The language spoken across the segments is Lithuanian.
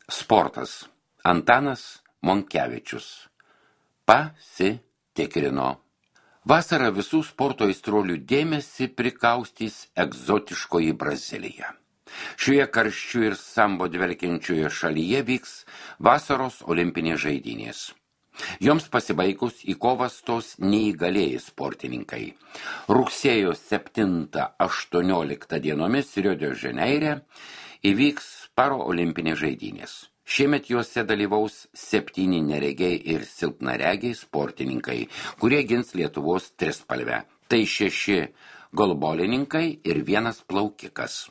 Sportas. Antanas Monkevičius. Pasitikrino. Vasarą visų sporto aistruolių dėmesį prikaustys egzotiškoji Brazilija. Šioje karščių ir sambo dvelkiančioje šalyje vyks vasaros olimpinės žaidynės. Joms pasibaigus į kovą stos neįgalieji sportininkai. Rugsėjo 7-18 dienomis Rio de Žaneire įvyks paraolimpinės žaidynės. Šiemet juose dalyvaus 7 neregiai ir silpnaregiai sportininkai, kurie gins Lietuvos trispalvę. Tai 6 golbolininkai ir 1 plaukikas.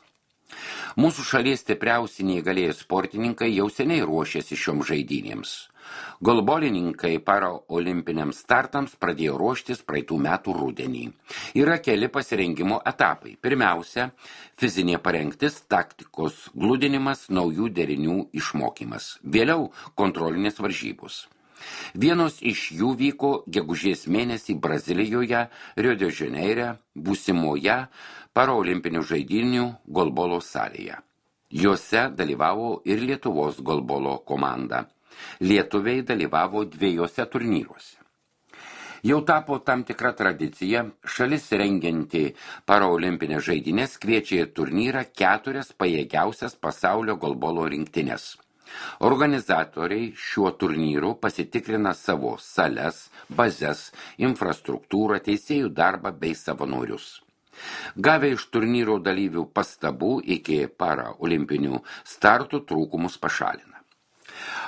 Mūsų šalies stipriausi neįgalieji sportininkai jau seniai ruošiasi šioms žaidynėms. Golbolininkai paraolimpiniams startams pradėjo ruoštis praeitų metų rudenį. Yra keli pasirengimo etapai. Pirmiausia, fizinė parengtis, taktikos gludinimas, naujų derinių išmokymas. Vėliau kontrolinės varžybos. Vienos iš jų vyko gegužės mėnesį Brazilijoje, Rio de Žaneire, būsimoje paraolimpinių žaidynių golbolo salėje. Jose dalyvavo ir Lietuvos golbolo komanda. Lietuviai dalyvavo 2 turnyruose. Jau tapo tam tikra tradicija, šalis rengianti paraolimpinės žaidynės kviečia į turnyrą 4 pajėgiausias pasaulio golbolo rinktinės. Organizatoriai šiuo turnyru pasitikrina savo sales, bazes, infrastruktūrą, teisėjų darbą bei savanorius. Gavę iš turnyro dalyvių pastabų iki paraolimpinių startų trūkumus pašalina.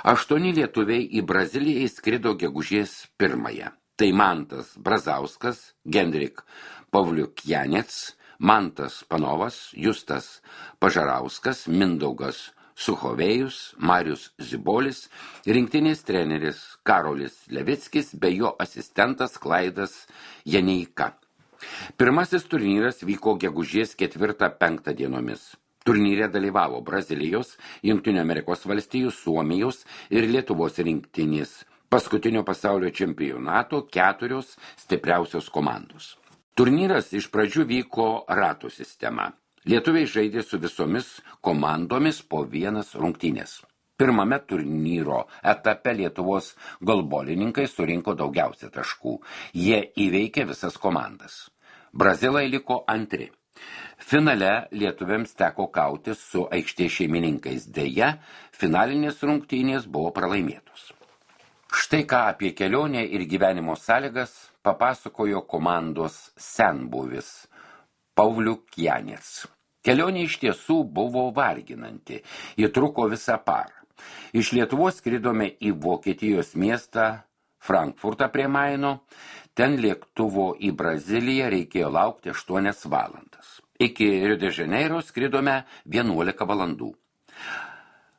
8 lietuviai į Braziliją įskrido gegužės 1. Tai Mantas Brazauskas, Gendrik Pavliukjanets, Mantas Panovas, Justas Pažarauskas, Mindaugas Suchovėjus, Marius Zibolis, rinktinės treneris Karolis Levickis bei jo asistentas Klaidas Janeika. Pirmasis turnyras vyko gegužės 4-5 dienomis. Turnyre dalyvavo Brazilijos, Jungtinių Amerikos valstijų, Suomijos ir Lietuvos rinktinės. Paskutinio pasaulio čempionato 4 stipriausios komandos. Turnyras iš pradžių vyko ratų sistema. Lietuviai žaidė su visomis komandomis po 1 rungtynės. Pirmame turnyro etape Lietuvos golbolininkai surinko daugiausia taškų. Jie įveikė visas komandas. Brazilai liko antri. Finale lietuviams teko kautis su aikštės šeimininkais. Deja, finalinės rungtynės buvo pralaimėtos. Štai ką apie kelionę ir gyvenimo sąlygas papasakojo komandos senbuvis Pavliukjanets. Kelionė iš tiesų buvo varginanti, ji truko visą parą. Iš Lietuvos skridome į Vokietijos miestą Frankfurtą prie Maino, ten lėktuvo į Braziliją reikėjo laukti 8 valandas. Iki Rio de Žaneiro skridome 11 valandų.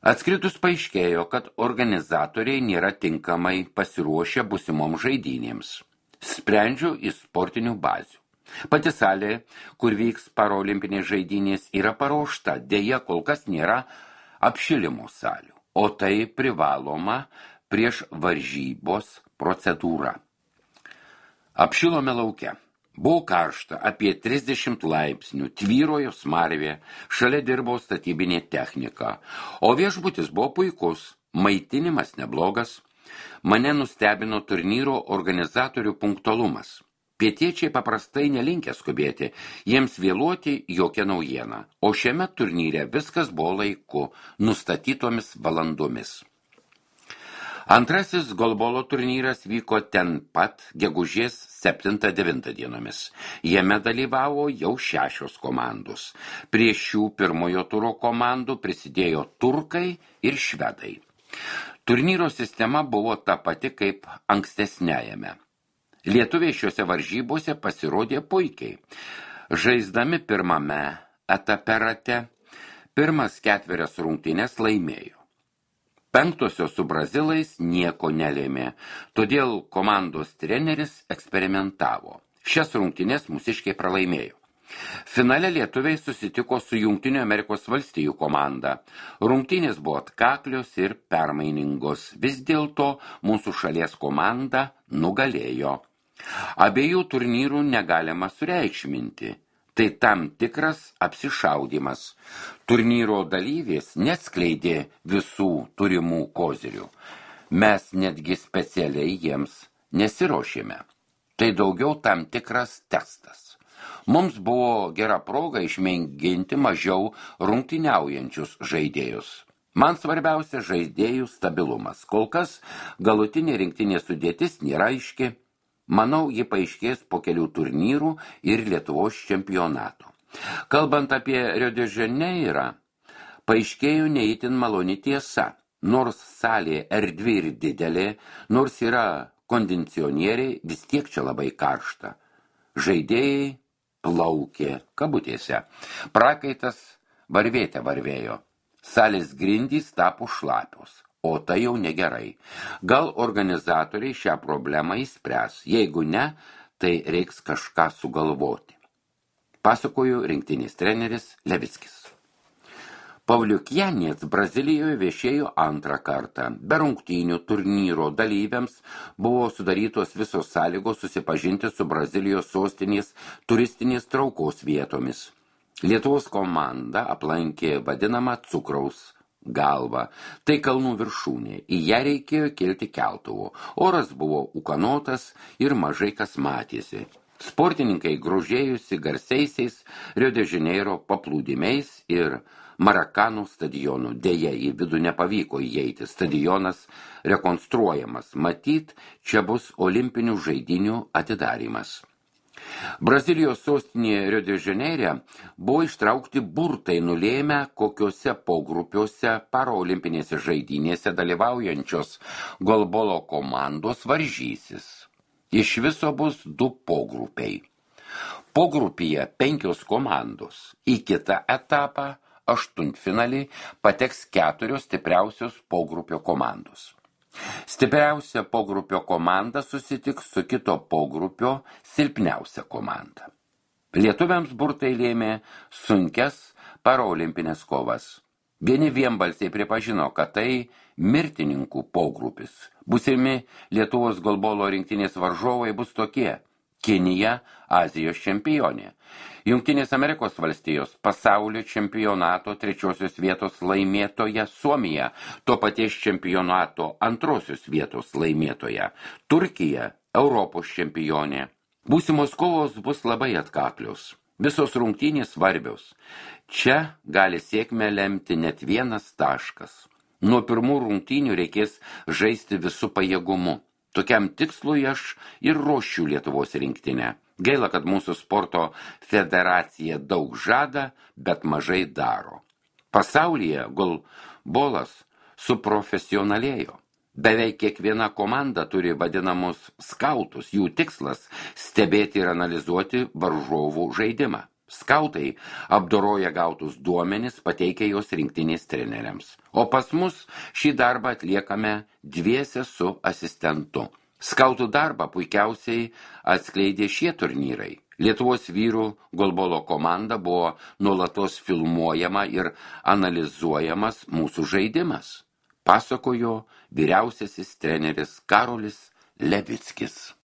Atskridus paaiškėjo, kad organizatoriai nėra tinkamai pasiruošę būsimom žaidynėms. Sprendžiu iš sportinių bazių. Pati salė, kur vyks paraolimpinės žaidynės, yra paruošta, deja kol kas nėra apšilimo salių, o tai privaloma prieš varžybos procedūrą. Apšilome lauke. Buvo karšta, apie 30 laipsnių, tvyrojo smarvė, šalia dirbo statybinė technika, o viešbutis buvo puikus, maitinimas neblogas. Mane nustebino turnyro organizatorių punktualumas. Pietiečiai paprastai nelinkę skubėti, jiems vėluoti jokia naujiena, o šiame turnyre viskas buvo laiku, nustatytomis valandomis. Antrasis golbolo turnyras vyko ten pat gegužės 7-9 dienomis. Jame dalyvavo jau 6 komandos. Prie šių pirmojo turo komandų prisidėjo turkai ir švedai. Turnyro sistema buvo ta pati kaip ankstesniajame. Lietuviai šiuose varžybose pasirodė puikiai. Žaisdami pirmame etape rate, pirmas 4 rungtynes laimėjo. 5 su brazilais nieko nelėmė, todėl komandos treneris eksperimentavo. Šias rungtynes mūsiškiai pralaimėjo. Finale lietuviai susitiko su Jungtinių Amerikos valstijų komanda. Rungtynės buvo atkaklios ir permainingos. Vis dėlto mūsų šalies komanda nugalėjo. Abiejų turnyrų negalima sureikšminti. Tai tam tikras apsišaudymas. Turnyro dalyvės neatskleidė visų turimų kozirių. Mes netgi specialiai jiems nesiruošėme. Tai daugiau tam tikras testas. Mums buvo gera proga išmėginti mažiau rungtyniaujančius žaidėjus. Man svarbiausia žaidėjų stabilumas. Kol kas galutinė rinktinė sudėtis nėra aiški. Manau, ji paaiškės po kelių turnyrų ir Lietuvos čempionatų. Kalbant apie Rio de Janeirą, paaiškėjo neįtin maloni tiesa. Nors salė erdvi ir didelė, nors yra kondicionieriai, vis tiek čia labai karšta. Žaidėjai plaukė kabutėse. Prakaitas varvėte varvėjo. Salės grindys tapo šlapios. O tai jau negerai. Gal organizatoriai šią problemą įspręs. Jeigu ne, tai reiks kažką sugalvoti. Pasakoju rinktinės treneris Levickis. Pavliukjanės Brazilijoje viešėjo antrą kartą. Be rungtynių turnyro dalyviams buvo sudarytos visos sąlygos susipažinti su Brazilijos sostinės turistinės traukos vietomis. Lietuvos komanda aplankė vadinamą cukraus galva. Tai kalnų viršūnė. Į ją reikėjo kilti keltuvu. Oras buvo ūkanotas ir mažai kas matėsi. Sportininkai grožėjusi garsiaisiais Rio de Janeiro paplūdimiais ir Marakanų stadionu. Deja, į vidų nepavyko įeiti. Stadionas rekonstruojamas. Matyt, čia bus olimpinių žaidynių atidarymas. Brazilijos sostinėje Rio de Janeire buvo ištraukti burtai nulėmę, kokiuose pogrupiuose paraolimpinėse žaidynėse dalyvaujančios golbolo komandos varžysis. Iš viso bus 2 pogrupiai. Pogrupyje 5 komandos. Į kitą etapą, aštuntfinalį, pateks 4 stipriausios pogrupio komandos. Stipriausia pogrupio komanda susitiks su kito pogrupio silpniausia komanda. Lietuviams burtai lėmė sunkias paraolimpinės kovas. Vieni vienbalsiai pripažino, kad tai mirtininkų pogrupis. Būsimi Lietuvos golbolo rinktinės varžovai bus tokie: Kinija, Azijos čempionė. Jungtinės Amerikos valstijos pasaulio čempionato 3 vietos laimėtoja Suomija, to paties čempionato 2 vietos laimėtoja. Turkija, Europos čempionė. Būsimos kovos bus labai atkaklios. Visos rungtynės svarbios. Čia gali sėkmę lemti net 1 taškas. Nuo pirmų rungtynių reikės žaisti visų pajėgumu. Tokiam tikslui aš ir ruošiu Lietuvos rinktinę. Gaila, kad mūsų sporto federacija daug žada, bet mažai daro. Pasaulyje golbolas suprofesionalėjo. Beveik kiekviena komanda turi vadinamus skautus. Jų tikslas – stebėti ir analizuoti varžovų žaidimą. Skautai apdoroja gautus duomenis, pateikia juos rinktinės treneriams. O pas mus šį darbą atliekame dviese su asistentu. Skautų darbą puikiausiai atskleidė šie turnyrai. Lietuvos vyrų golbolo komanda buvo nuolatos filmuojama ir analizuojamas mūsų žaidimas. Pasakojo vyriausiasis treneris Karolis Levickis.